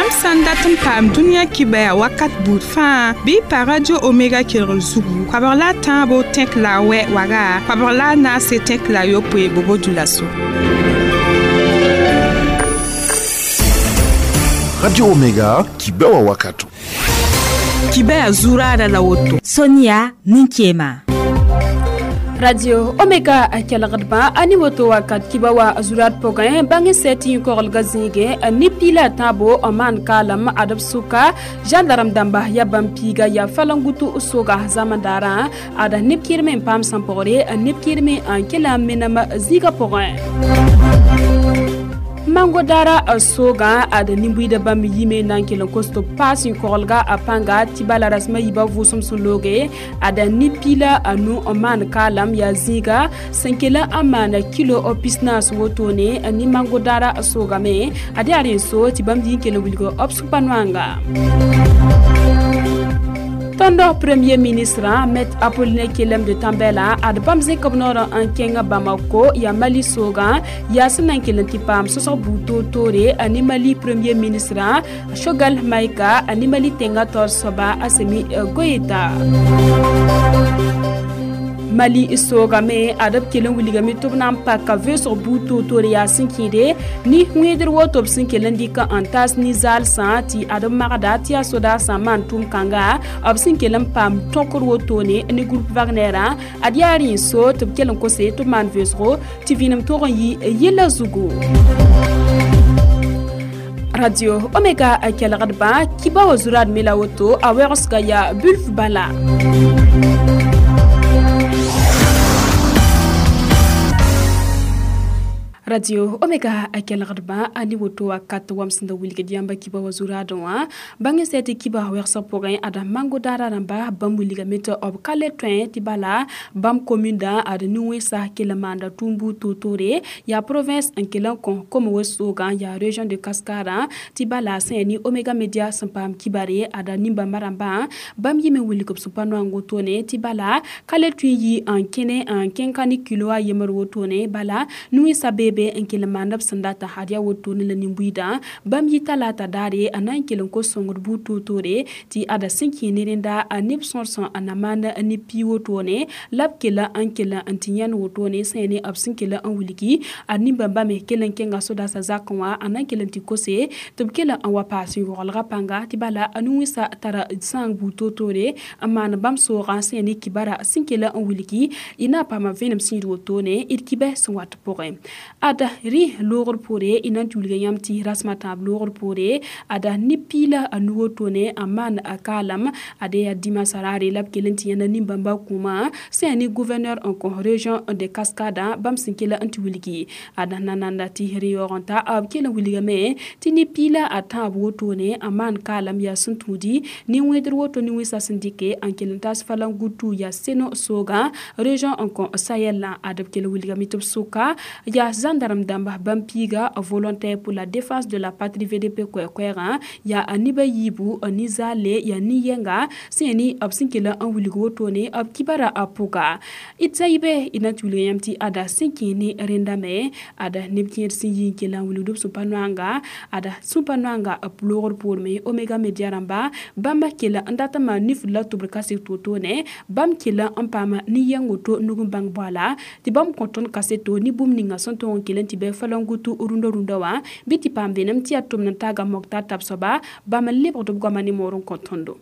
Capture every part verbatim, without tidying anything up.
Yãmb sã n dat n paam dũniyã kibaya wakat buud fãa bɩ y pa Radio Omega kelgr zugu koabg la a tãabo tẽk la a wɛ waga koabg la a naase tẽk la a yopoe bobo dulaso. Radio Omega kibewa wakato. Kibaya zurada la woto. Sonia Ninkema. Radio Omega kelgdba ani woto wakat kibawa zurat pogẽ bãng sɛt yẽ-koglga zĩigẽ ne piila tãabo maan kaalam adb sʋka gendarme dãmba ya bãmb piiga ya falangutu soga zamandaarã ada neb kɩrme n paam sẽn pʋgre neb kɩrme n kell n menem zĩigã pʋgẽ. Mango dara soga ad nimbuida bãmb yime na n kell n kos tɩ paas yẽ-koglga a pãnga tɩ bala rasmã yiibã vʋʋsem sẽn looge ada ne piila a nu n maan kaalam yaa zĩiga sẽn kell n maana kilo pisnaas wotone ne mango dara sogame ad yaa rẽ so tɩ bãmb yɩ n kell n wilg b sũ-pa-noanga. Tõnd premier ministre Maître Apollinaire Kyélem de Tambèla ad bãmb zẽk b noor n kẽng Bamako yaa Mali soogã yaa sẽn na n kell n tɩ paam sõsg buud toor-toore ne Mali premier ministre Choguel Maïga ne Mali tẽngã taoor soaba Assimi Goïta. Mali soogame ad b kell n wilgame tɩ b na n paka vʋʋsg buud toor-toore yaa sẽn kẽede ne wẽedr woto b sẽn kell n dɩk n taas nin-zaalsã tɩ ad b magda tɩ yaa sodaasã maan tʋʋm-kãnga b sẽn kell n paam tõkr wotone ne groupe Wagner ad yaa rẽ so tɩ b kell n kose tɩ b maan vʋʋsgo tɩ vĩinem tog n yɩ yella zugu. Radio Omega kelgdbã kiba wa zurad me la woto a wɛgsga yaa bulf bala. Radio Omega kelgdbã a ne woto wakat wam sẽn da wilgd yãmba kiba wa zuradẽ wã bãng sɛ tɩ kiba wɛgsg pʋgẽ ada mango daara rãmba bãmb wilgame tɩ b ka le tõe tɩ bala bãmb komindã ad nin-wẽnsa kell n maanda tʋʋm buud toor-toore yaa province n kell n kõ kom-wes soogã yaa région de Cascade tɩ bala sẽn ya ne Omega Media sẽn paam kibare ada nin-bãmba rãmbã bãmb yɩme wilg b sũ-pa-noang wotone tɩ bala ka le tõe n yɩ n kẽne n kẽng ka ne kilo a yembr wotone bala nin-wẽnsa beebe n kell n maand b sẽn data ad yaa wotone la nin-buiidã bãmb yɩ talaata daare a na n kell n kos sõngd buud toor-toore tɩ ada sẽn kẽ ne rẽnda neb sõor sẽn na maan ne pii wotone la b kell n kell n tɩ yãnd wotone sẽn ya ne b sẽn kell n wilgi a nin-bãmba me kell n kẽnga sodaasã zakẽ wã a na n kell n tɩ kose tɩ b kell n wa paas yõgelgã pãnga tɩ bala a nin-wẽnsã tara sãang buud toor-toore n maan bãmb soogã sẽn ya ne kibara sẽn kell n wilgi y na n paama vẽenem sĩid wotone d kibɛ sẽn wat pʋgẽ. Ada rẽ loogr poore y na n tɩ wilga yãmb tɩ rasmã tãab loogr poore ada ne piila a nu wotone n maan a kaalam ad yaa dimaasã raare la b kell n tɩ yãna nin-bãmba kũumã sẽn yaa ne gouverneur n kõ région de Cascade bãmb sẽn kell n tɩ wilgi ada nananda tɩ rẽ yaoog n ta b kell n wilgame tɩ ne piila a tãab wotone n maan kaalam yaa sẽn tũudi ne wẽedr woto ne wẽnsã sẽn dɩke n kell n taas falangutu yaa seno soogã région n kõ Sahel ad b kell n wilgame tɩ b sʋka yaa gendarme dãmba bãmb piiga volontaire pour la défense de la patrie V D P koɛɛ-koɛɛgã yaa a neba yiibu nin-zaale yaa nin-yɛnga sẽn ya ne b sẽn kell n wilg wotone b kibara a pʋga d zayibe d na n tɩ wilga yãmb tɩ ada sẽn kẽ ne rẽndame ada neb kẽer sẽn yi n kell n wilgd b sũ-pa-noanga ada sũ-pa-noanga b loogr poorme Omega Media rãmba bãmb kell n dat n maan nifd la tʋbr kaset wotone bãmb kell n paama nin-yɛng woto nug n bãng boala tɩ bãmb kõ tõnd kaseto ne bũmb ninga sẽn tõog n kell n tɩ bɩ falangutu rũndã rũndã wã bɩ tɩ paam vẽenem tɩ yaa tʋmd n taaga moktar tab soaba bãmb n lebgd b goamã ne moor n kõ tõndo.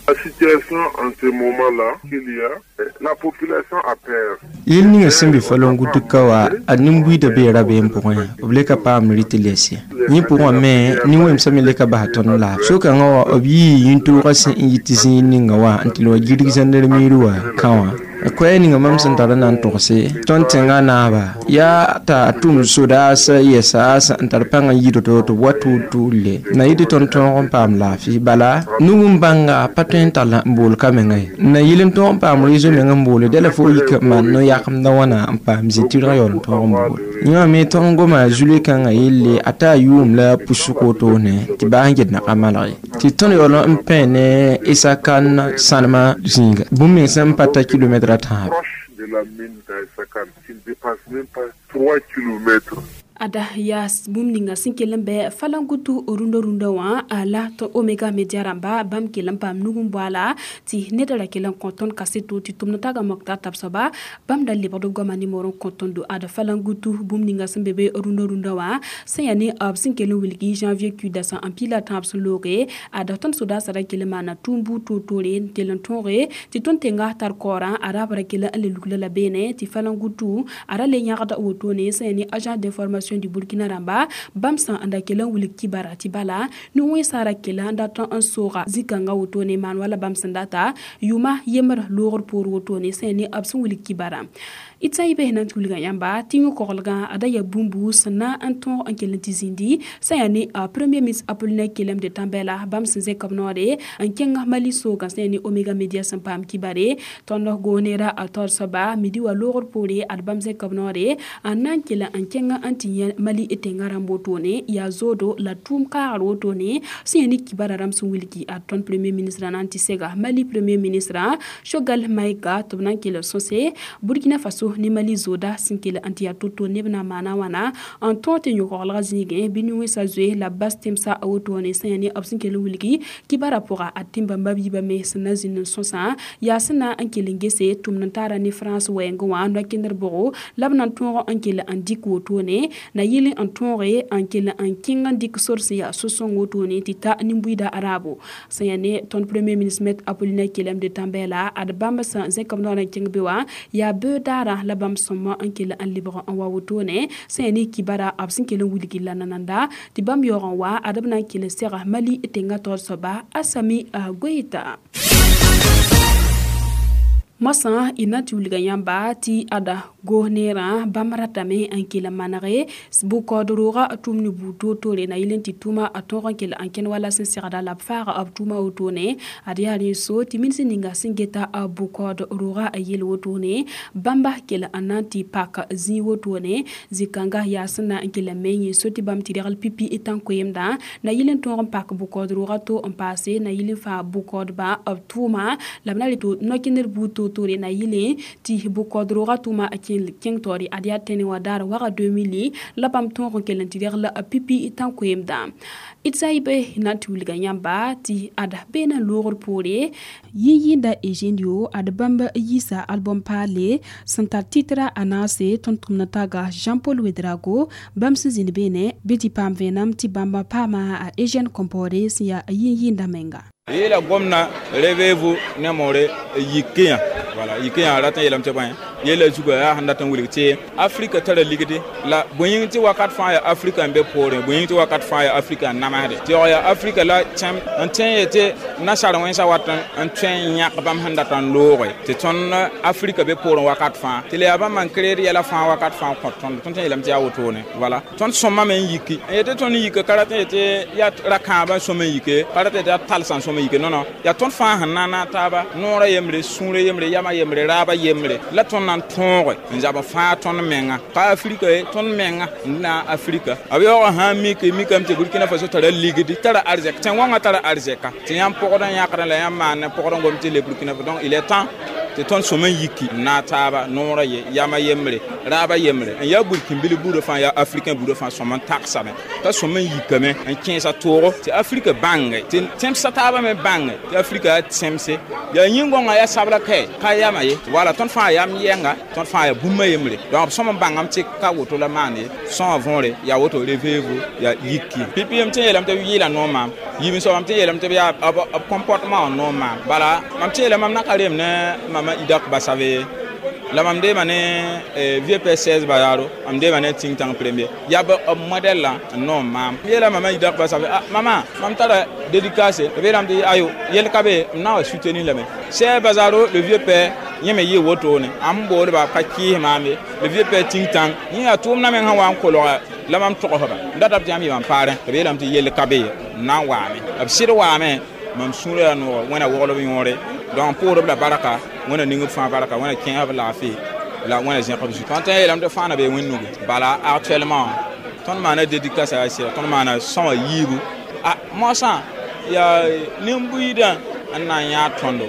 La situation en ce moment-là qu'il y a, la population a peur. Yel ninga sẽn be falangutu ka wa a nin-buiidã bee rabeem pʋgẽ b le ka paam rɩ tɩ lɛs ye yẽ pʋgã me nin-wẽmsã me le ka bas tõnd laaf so-kãngã wã b yii yĩn-toogã sẽn n yit zĩig ninga wã n tɩ le wa gilg zãndar-miir wã kã wã koɛɛ ninga mam sẽn tar n na n togse tõnd tẽngã naaba yaa t'a tʋm sodaasã yɛsa n tar pãng n yɩɩd tɩ b wa tʋʋl-tʋʋl-le na yɩ tɩ tõnd tõog n paam laafɩ bala nug n bãnga pa tõe n tall n bool ka menga ye n na yɩl n tõog n paam rezo meng n boole dala fo yik maan no-yakemdã wãna n paam zĩ-tɩrgã yaool n tõog n bool yẽ wã me tõnd goma zule kãngã yelle a taa yʋʋm la pusg wotone tɩ baa n get naka malg ye tɩ tõnd yaool n pẽ ne Essakane sãnemã zĩiga bũmb meng sẽn pa ta kilomɛtra tãab de la mine d'Essakane, qui ne dépasse même pas trois kilomètres. Ada yaa bũmb ninga sẽn kell n bɩ falangutu rũndã rũndã wã la tɩ Omega Media rãmba bãmb kell n paam nug n boala tɩ ned ra kell n kõ tõnd kaseto tɩ tʋmd taga moktar tab soaba bãmb da lebgd b goamã nimor n kõ tõndo ad falangutu bũmb ninga sẽn be be rũndã rũndã wã sẽn yaa ne b sẽn kell n wilgi janvier kudasã n pila tãab sẽn looge ad tõnd sodaasã ra kell n maana tʋʋm buud toor-toore n tell n tõoge tɩ tõnd tẽnga tar kaoorã a raab ra kell n le lugla la beene tɩ falangutu a ra le yãgda wotone sẽn yaa ne agence d'information du Burkina rãmba bãmb sã n da kell n wilg kibara tɩ bala ne-wẽnsã ra kell n dat n sooga zĩ-kãngã wotone maan wala bãmb sẽn data yʋʋma yembr loogr poor wotone sẽn yaa ne b sẽn wilg kibara d sã n yɩ bes na n tɩ wilga yãmba tɩ yõ-koglgã ada yaa bũmbu sẽn na n tõog n kell n tɩ zĩndi sẽn yaa ne premier ministre Apollinaire Kyelem de Tambèla bãmb sẽn zẽk b noore n kẽng Mali soogã sẽn yaa ne Omega Media sẽn paam kibare tõnd goonera a taoor soaba midi wa loogr poore ad bãmb zẽk b noore n na n kell n kẽng n tɩ yẽ Mali tẽngã rãmb wotone yaa zoodo la tʋʋm kaagr wotone sẽn yaa ne kibara rãmb sẽn wilgi ad tõnd premier ministre na n tɩ sega Mali premier ministre Choguel Maïga tɩ b na n kell n sõse Burkina Faso ne Mali zooda sẽn kell n tɩ yaa to-to neb na n maana wãna n tõog tɩ yõ-koglgã zĩigẽ bɩ ne-wẽnsã zoe la b bas tẽmsã a wotone sẽn yaa ne b sẽn kell n wilgi kibara pʋga a tẽn-bãmba b yiibã me sẽn na zĩnd n sõsã yaa sẽn na n kell n gese tʋmd n taara ne France wɛɛngẽ wã no-kẽndr bʋgo la b na n tõog n kell n dɩk wotone na yɩl n tõoge n kell n kẽng n dɩk sor sẽn yaa so-sõng wotone tɩ ta nin-buiida raabo sẽn yaa ne tõnd premier ministre maître Apollinaire Kyelem de Tambèla ad bãmb sẽn zẽk b noor n kẽng be wã yaa beoog daarã la bãmb sõma n kell n lebg n wa wotone sẽn yaa ne kibara b sẽn kell n wilgi la nananda tɩ bãmb yaoog n wa ad b na n kell n sega Mali tẽngã taoor soaba Assimi Goïta. Moasã y na n tɩ wilga yãmba tɩ ada goos-neerã bãmb ratame n kell n manege bʋ-kaood roogã tʋʋm ne buud toor-toore na yɩl n tɩ tʋʋma a tõog n kell n kẽnd wala sẽn segda la b faaga b tʋʋma wotone ad yaa rẽ so tɩ minsẽ ninga sẽn geta bʋ-kaood roogã a yel wotone bãmba kell n na n tɩ pak zĩig wotone zĩ-kãnga yaa sẽn na n kell n me yẽ so tɩ bãmb tɩ regl pipi tãn-koeemdã na yɩl n tõog n pak bʋ-kaood roogã to n paase na yɩl n faa bʋ-kaoodbã b tʋʋma la b na re tɩ no-kẽndr buud toor-toore na yɩle tɩ bʋ-kaood roogã tʋʋma a kẽng taoore ad yaa tẽne wã daar waga deux mille la bãmb tõog n kell n tɩ regl pipi tãn-koeemdã d sã n yɩ be na n tɩ wilga yãmba tɩ ad beena loogr poore yĩn-yĩnda Eugenio ad bãmb yiisa album paale sẽn tar titra a naase tõnd tʋmd taga Jean-Paul Ouedraogo bãmb sẽn zĩnd beene bɩ tɩ paam vẽenem tɩ bãmb paama a Eugène Compaoré sẽn yaa yĩn-yĩnda menga. Yela gomna réveillez-vous ne more yikiya voilà yikiya ratan yelam te ban yela zuga ya handa tan wilg te Afrika tara ligde la boyin ti wakat fa ya Afrika be pore boyin ti wakat fa ya Afrika namade ti ya Afrika la cham an ten yete na sar wen sa watan an ten yak bam handa tan lore te ton Afrika be pore wakat fa te le aba man créer yela fa wakat fa ko ton ton yelam te ya wotone voilà ton somma men yiki yete ton yiki karate yete ya rakaba somma yike karate ya talsan somma yike non non ya ton fa hanana taba nora yemre sũure yemre yama yemre raaba yemre la tõnd na n tõoge n zab fãa tõnd menga ka Afrika ye tõnd menga n na Afrika a yaoog sã n mik mikame tɩ Burkina Faso tara ligdi tara arzɛk tẽn-wãngã tara arzɛka tɩ yãmb pʋgd n yãkdã la yãmb maan ne pʋgd n gom tɩ le Burkina Faso donc il est temps tɩ tõnd sõm n yiki n naag taaba noorã ye yama yembre raaba yembre n yaa burkĩnbil buudã fãa yaa africain buudã fãa sõm n tagsame t'a sõm n yikame n kẽesa toogo tɩ Afrika bãnge tɩ tẽmsã taabã me bãnge tɩ Afrika yaa tẽmse yaa yĩn-gõngã yaa sabla kae ka yama ye wala tõnd fãa yam yɛnga tõnd fãa yaa bũmba yembre donc b sõm n bãngame tɩ ka woto la maan ye sõa võore yaa woto réveillez-vous yaa yiki pipi yem tɩ yeelame tɩ b yɩɩla noor maam yiib soabame tɩ yeelame tɩ b yaa b comportement wã noor maam bala mam tɩ yeelame mam na ka reem ne mama Idak Basave la mam deema ne vieux père seize Bazaro mam deema ne ting tang premier yaa b modèle la n noom maam yeela mama Idak Basave ah mama mam tara dédicace b yeelame tɩ ayo yel ka be m na wa soutenir lame seize Bazaro le vieux père yẽ me yɩ wotone n boolba ka kɩɩs maam ye le vieux père ting tang yẽ yaa tʋʋmdã meng sẽn wa n kolga la mam togsba n datame tɩ yãmb yɩ mam paarẽ tɩ b yeelame tɩ yell ka be ye n na n waame b sɩd waame mam sũurã yaa noog wẽna woglb yõore donc pʋʋdb la barka wẽna ning b fãa barka wẽna kẽesb laafɩ la wẽna zẽk b zu tõnd tõe n yeelame tɩ fãa na bee wẽn-nugu bala actuellement tõnd maana dédicace yaa sɩda tõnd maana sõma yiibu a moasã yaa nin-buiidã n na n yãag tõndo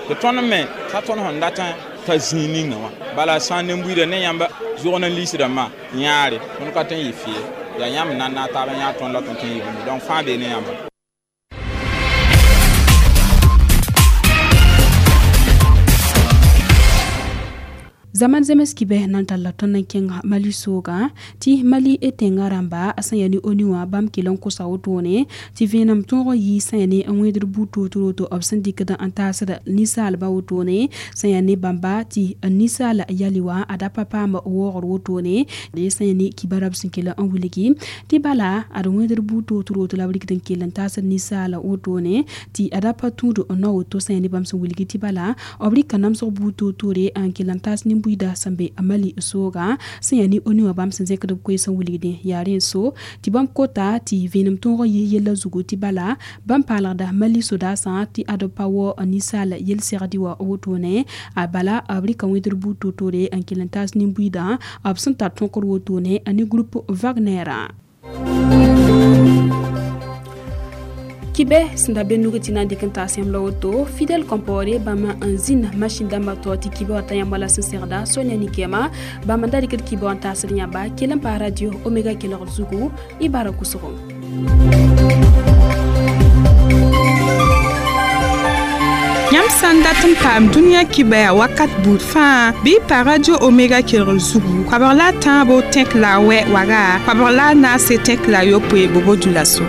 tɩ tõnd me t'a tõnd sẽn dat n ta zĩig ninga wã bala sã n ne buiida ne yãmb zʋg ne liisdãmbã yãare tõnd ka tõe n yɩ fɩ yaa yãmb na n naag taab n yãag tõnd la tõnd tõe n yɩ bũmb donc fãa bee ne yãmba. Zaman zemes kibe nan talla tõnd n kẽng Mali sooga tɩ Mali e tẽngã rãmba sẽn yaa ne ONU wã bãmb kell n kosa wotone tɩ vẽenem tõog yɩ sẽn yaa ne n wẽedr buud toor-toor b sẽn dɩkd n taasd ninsaalbã wotone sẽn yaa ne bãmba tɩ ninsaal yali wã a da pa paam waoogr wotone sẽn yaa ne kibarab sẽn kell n wilgi tɩ bala ad wẽedr buud toor-toor la b rɩkd n kell n taasd ninsaal wotone tɩ a da pa tũud no woto sẽn yaa ne bãmb sẽn wilgi tɩ bala b rɩka namsg buud toor-toore n kell n taas nin buida sẽn be a Mali sooga sẽn yaa ne ONU wã bãmb sẽn zẽkd b koees n wilgdẽ yaa rẽ so tɩ bãmb kota tɩ vẽenem tõog n yɩ yella zugu tɩ bala bãmb paalgda Mali sodaasã tɩ ad pa wa ninsaal yel-segdi wã wotone a bala b rɩka wẽdr buud toor-toore n kell n taas nin-buiidã b sẽn tar tõkr wotone a ne groupe Wagner. Kibe sẽn da be nug tɩ na n dɩk n taas yãmb la woto Fidel Compaoré bãmb n zĩnd masĩn dãmbã tao tɩ kibe wã ta yãmb wala sẽn segda Sonia Nikema bãmb n da dɩkd kibe wã n taasd yãmba kell n paa radio Omega kelgr zugu y bara kʋsgo. Yãmb sã n dat n paam dũniyã kibɛa wakat buud fãa bɩ y pa radio Omega kelgr zugu koabg la a tãabo tẽk la a wɛ waga koabg la a naase tẽk la a yopoe bobo dulaso.